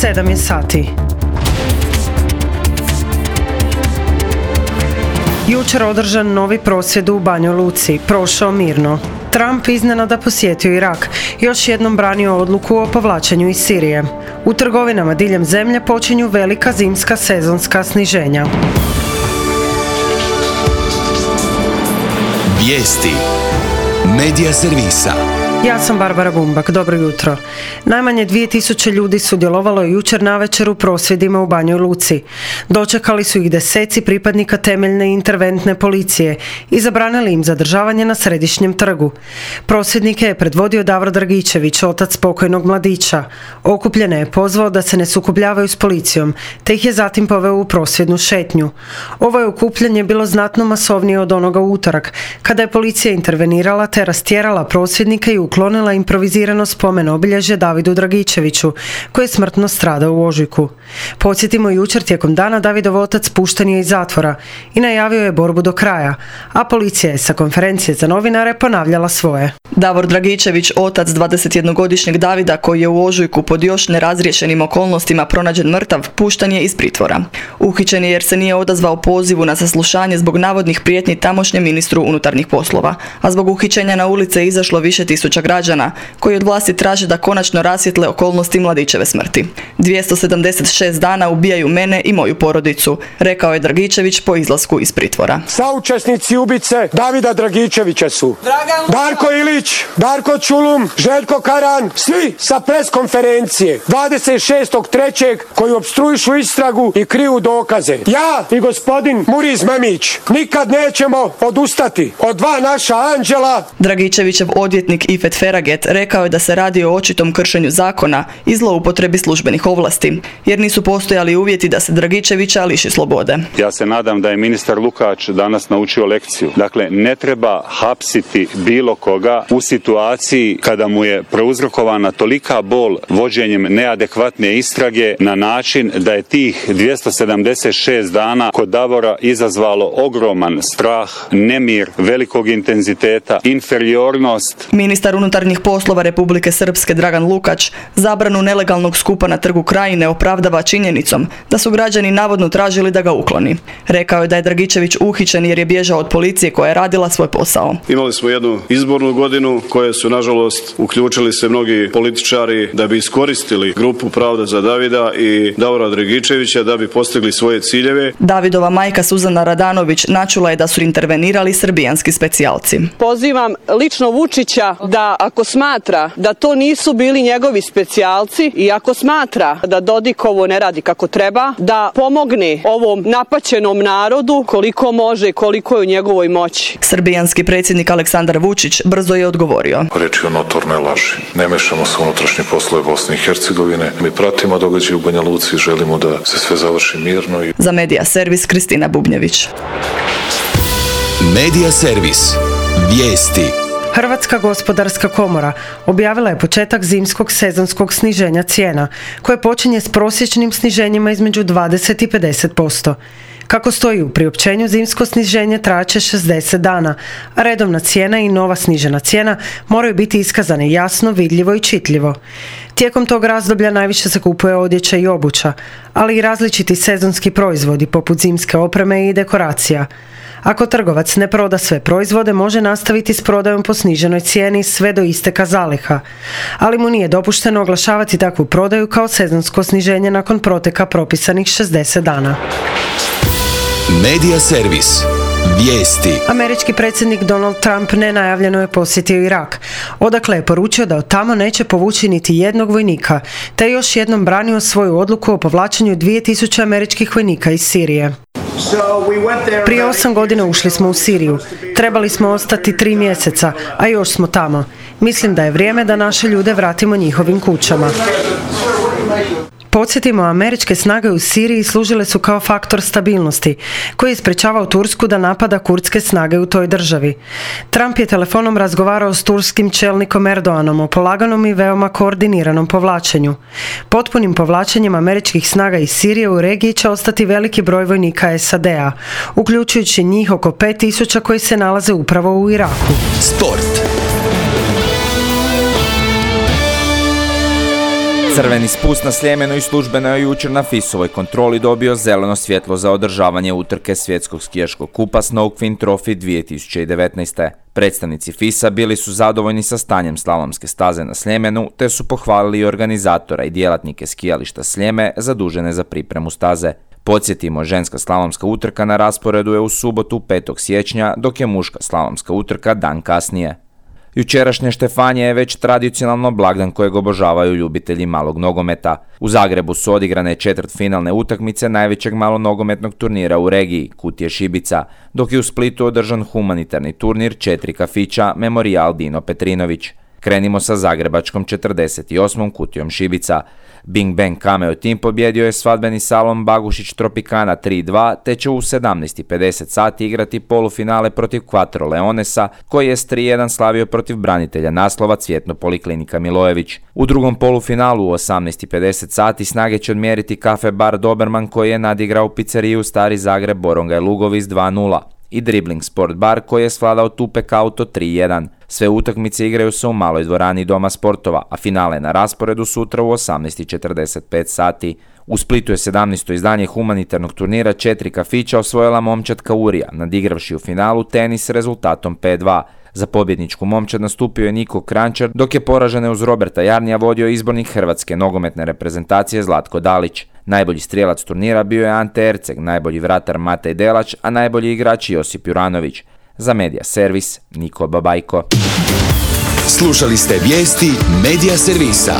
7 je sati. Jučer održan novi prosvjed u Banjoj Luci, prošao mirno. Trump iznenada posjetio Irak, još jednom branio odluku o povlačenju iz Sirije. U trgovinama diljem zemlje počinju velika zimska sezonska sniženja. Vijesti Medija servisa. Ja sam Barbara Bumbak, dobro jutro. Najmanje 2000 ljudi sudjelovalo je jučer navečer u prosvjedima u Banjoj Luci. Dočekali su ih deseci pripadnika temeljne interventne policije i zabranili im zadržavanje na Središnjem trgu. Prosvjednike je predvodio Davor Dragičević, otac pokojnog mladića. Okupljene je pozvao da se ne sukobljavaju s policijom, te ih je zatim poveo u prosvjednu šetnju. Ovo je okupljanje bilo znatno masovnije od onoga u utorak, kada je policija intervenirala te rastjerala prosvjednike i uklonila improvizirano spomen obilježje Davidu Dragičeviću, koji je smrtno stradao u ožujku. Podsjetimo, jučer tijekom dana Davidov otac pušten je iz zatvora i najavio je borbu do kraja, a policija je sa konferencije za novinare ponavljala svoje. Davor Dragičević, otac 21-godišnjeg Davida, koji je u ožujku pod još nerazriješenim okolnostima pronađen mrtav, pušten je iz pritvora. Uhićen je jer se nije odazvao pozivu na saslušanje zbog navodnih prijetnji tamošnjem ministru unutarnjih poslova, a zbog uhićenja na ulice je izašlo više tisuća građana, koji od vlasti traže da konačno rasvijetle okolnosti mladićeve smrti. 276 dana ubijaju mene i moju porodicu, rekao je Dragičević po izlasku iz pritvora. Saučesnici ubice Davida Dragičevića su Darko Ilić, Darko Čulum, Željko Karan, svi sa pres konferencije 26.3. koji opstruišu istragu i kriju dokaze. Ja i gospodin Muriz Mamić nikad nećemo odustati od dva naša anđela. Dragičevićev odvjetnik Ifet Feraget rekao je da se radi o očitom kršenju zakona i zloupotrebi službenih ovlasti, jer nisu postojali uvjeti da se Dragičevića liši slobode. Ja se nadam da je ministar Lukač danas naučio lekciju. Dakle, ne treba hapsiti bilo koga u situaciji kada mu je prouzrokovana tolika bol vođenjem neadekvatne istrage na način da je tih 276 dana kod Davora izazvalo ogroman strah, nemir, velikog intenziteta, inferiornost. Ministar unutarnjih poslova Republike Srpske Dragan Lukač zabranu nelegalnog skupa na Trgu Krajine opravdava činjenicom da su građani navodno tražili da ga ukloni. Rekao je da je Dragičević uhićen jer je bježao od policije koja je radila svoj posao. Imali smo jednu izbornu godinu koje su, nažalost, uključili se mnogi političari da bi iskoristili grupu Pravda za Davida i Davora Dragičevića da bi postigli svoje ciljeve. Davidova majka Suzana Radanović načula je da su intervenirali srbijanski specijalci. Pozivam lično Vučića da ako smatra da to nisu bili njegovi specijalci i ako smatra da Dodik ovo ne radi kako treba, da pomogne ovom napaćenom narodu koliko može i koliko je u njegovoj moći. Srbijanski predsjednik Aleksandar Vučić brzo je odgovorio. Reč je o notornoj laži. Ne mešamo se u unutrašnje poslove Bosne i Hercegovine. Mi pratimo događaje u Banja Luci i želimo da se sve završi mirno. Za Medija servis Kristina Bubnjević. Medija servis. Vijesti. Hrvatska gospodarska komora objavila je početak zimskog sezonskog sniženja cijena, koje počinje s prosječnim sniženjima između 20 i 50%. Kako stoji u priopćenju, zimsko sniženje trajaće 60 dana, a redovna cijena i nova snižena cijena moraju biti iskazane jasno, vidljivo i čitljivo. Tijekom tog razdoblja najviše se kupuje odjeća i obuća, ali i različiti sezonski proizvodi poput zimske opreme i dekoracija. Ako trgovac ne proda sve proizvode, može nastaviti s prodajom po sniženoj cijeni sve do isteka zaliha, ali mu nije dopušteno oglašavati takvu prodaju kao sezonsko sniženje nakon proteka propisanih 60 dana. Medija servis. Vijesti. Američki predsjednik Donald Trump nenajavljeno je posjetio Irak, odakle je poručio da od tamo neće povući niti jednog vojnika, te još jednom branio svoju odluku o povlačenju 2000 američkih vojnika iz Sirije. Prije 8 godina ušli smo u Siriju. Trebali smo ostati 3 mjeseca, a još smo tamo. Mislim da je vrijeme da naše ljude vratimo njihovim kućama. Podsjetimo, američke snage u Siriji služile su kao faktor stabilnosti, koji je sprečavao Tursku da napada kurdske snage u toj državi. Trump je telefonom razgovarao s turskim čelnikom Erdoganom o polaganom i veoma koordiniranom povlačenju. Potpunim povlačenjem američkih snaga iz Sirije u regiji će ostati veliki broj vojnika SAD-a, uključujući njih oko 5000 koji se nalaze upravo u Iraku. Sport. Crveni spust na Sljemenu i službeno je jučer na FIS-ovoj kontroli dobio zeleno svjetlo za održavanje utrke svjetskog skijaškog kupa Snowfin Trophy 2019. Predstavnici FIS-a bili su zadovoljni sa stanjem slalomske staze na Sljemenu, te su pohvalili i organizatora i djelatnike skijališta Sljeme zadužene za pripremu staze. Podsjetimo, ženska slalomska utrka na rasporedu je u subotu 5. siječnja, dok je muška slalomska utrka dan kasnije. Jučerašnje Štefanje je već tradicionalno blagdan kojeg obožavaju ljubitelji malog nogometa. U Zagrebu su odigrane četvrtfinalne utakmice najvećeg malonogometnog turnira u regiji, Kutije Šibica, dok je u Splitu održan humanitarni turnir 4 kafića Memorijal Dino Petrinović. Krenimo sa zagrebačkom 48. Kutijom Šibica. Bing Bang Cameo Team pobjedio je svadbeni salon Bagušić Tropicana 3-2, te će u 17:50 sati igrati polufinale protiv Quattro Leonesa, koji je s 3-1 slavio protiv branitelja naslova Cvjetno Poliklinika Milojević. U drugom polufinalu u 18:50 sati snage će odmjeriti Kafe Bar Doberman, koji je nadigrao pizzeriju Stari Zagreb Borongaj Lugovic 2-0. I Dribbling Sport Bar, koji je svladao Tupek Auto 3-1. Sve utakmice igraju se u maloj dvorani Doma sportova, a finale na rasporedu sutra u 18:45 sati. U Splitu je 17. izdanje humanitarnog turnira 4 kafića osvojila momčad Urija, nadigravši u finalu tenis rezultatom 5-2. Za pobjedničku momčad nastupio je Niko Krančar, dok je poražene uz Roberta Jarnija vodio izbornik hrvatske nogometne reprezentacije Zlatko Dalić. Najbolji strijelac turnira bio je Ante Erceg, najbolji vratar Matej Delač, a najbolji igrač Josip Juranović. Za Medija Servis, Niko Babajko. Slušali ste vijesti Medija Servisa.